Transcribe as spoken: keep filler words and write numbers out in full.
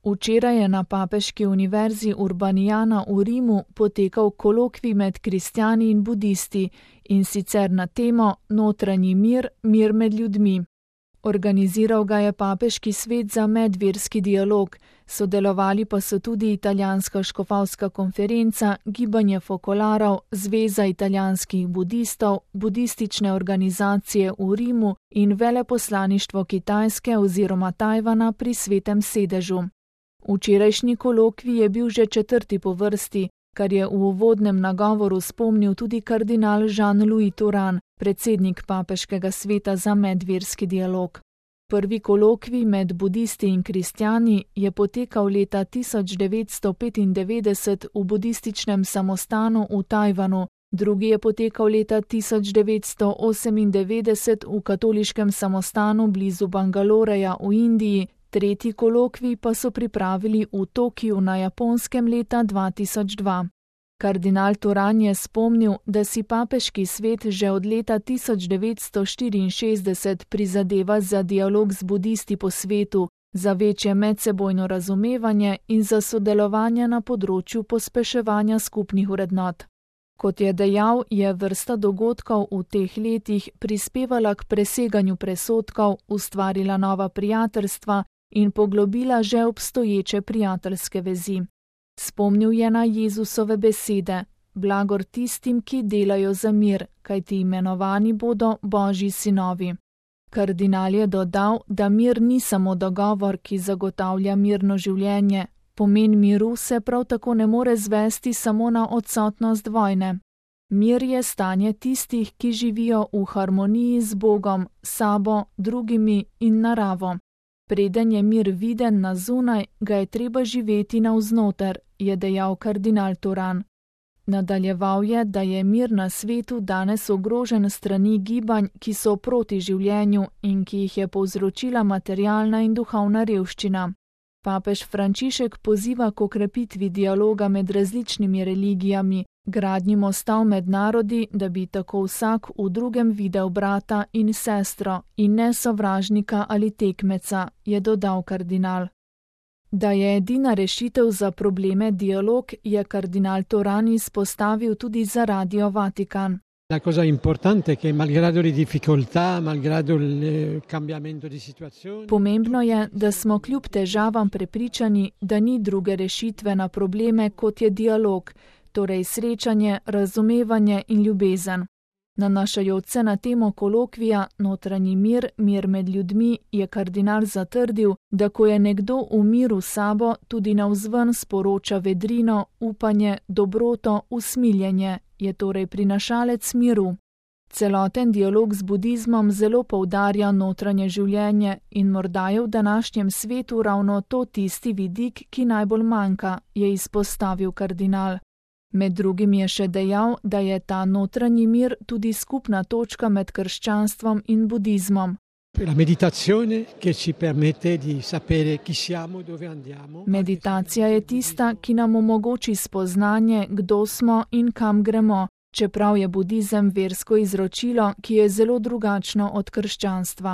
Včeraj je na Papeški univerzi Urbaniana v Rimu potekal kolokvij med kristjani in budisti, in sicer na temo Notranji mir, mir med ljudmi. Organiziral ga je Papeški svet za medverski dialog, sodelovali pa so tudi Italijanska škofovska konferenca, Gibanje fokolarov, Zveza italijanskih budistov, budistične organizacije v Rimu in veleposlaništvo Kitajske oziroma Tajvana pri Svetem sedežu. Včerajšnji kolokvij je bil že četrti po vrsti, kar je v uvodnem nagovoru spomnil tudi kardinal Jean-Louis Turan, predsednik Papeškega sveta za medverski dialog. Prvi kolokvij med budisti in kristjani je potekal leta tisoč devetsto petindevetdeset v budističnem samostanu v Tajvanu, drugi je potekal leta tisoč devetsto osemindevetdeset v katoliškem samostanu blizu Bangaloreja v Indiji, tretji kolokvij pa so pripravili v Tokiu na Japonskem leta dva tisoč dva. Kardinal Turan je spomnil, da si Papeški svet že od leta tisoč devetsto štiriinšestdeset prizadeva za dialog z budisti po svetu, za večje medsebojno razumevanje in za sodelovanje na področju pospeševanja skupnih vrednot. Kot je dejal, je vrsta dogodkov v teh letih prispevala k preseganju presotkov, ustvarila nova prijateljstva in poglobila že obstoječe prijateljske vezi. Spomnil je na Jezusove besede: blagor tistim, ki delajo za mir, kajti imenovani bodo Božji sinovi. Kardinal je dodal, da mir ni samo dogovor, ki zagotavlja mirno življenje. Pomen miru se prav tako ne more zvesti samo na odsotnost vojne. Mir je stanje tistih, ki živijo v harmoniji z Bogom, sabo, drugimi in naravo. Preden je mir viden na zunaj, ga je treba živeti navznoter, je dejal kardinal Turan. Nadaljeval je, da je mir na svetu danes ogrožen strani gibanj, ki so proti življenju in ki jih je povzročila materialna in duhovna revščina. Papež Frančišek poziva k okrepitvi dialoga med različnimi religijami, gradnji mostov med narodi, da bi tako vsak v drugem videl brata in sestro in ne sovražnika ali tekmeca, je dodal kardinal. Da je edina rešitev za probleme dialog, je kardinal Turan izpostavil tudi za Radio Vatikan. La cosa importante è che malgrado le difficoltà, malgrado il cambiamento di situazione. Pomembno je, da smo kljub težavam prepričani, da ni druge rešitve na probleme kot je dialog, torej srečanje, razumevanje in ljubezen. Nanašajoč se na temo kolokvija Notranji mir, mir med ljudmi, je kardinal zatrdil, da ko je nekdo v miru s sabo, tudi navzven sporoča vedrino, upanje, dobroto, usmiljenje, je torej prinašalec miru. Celoten dialog z budizmom zelo poudarja notranje življenje in morda je v današnjem svetu ravno to tisti vidik, ki najbolj manjka, je izpostavil kardinal. Med drugim je še dejal, da je ta notranji mir tudi skupna točka med krščanstvom in budizmom. Meditacija je tista, ki nam omogoči spoznanje, kdo smo in kam gremo, čeprav je budizem versko izročilo, ki je zelo drugačno od krščanstva.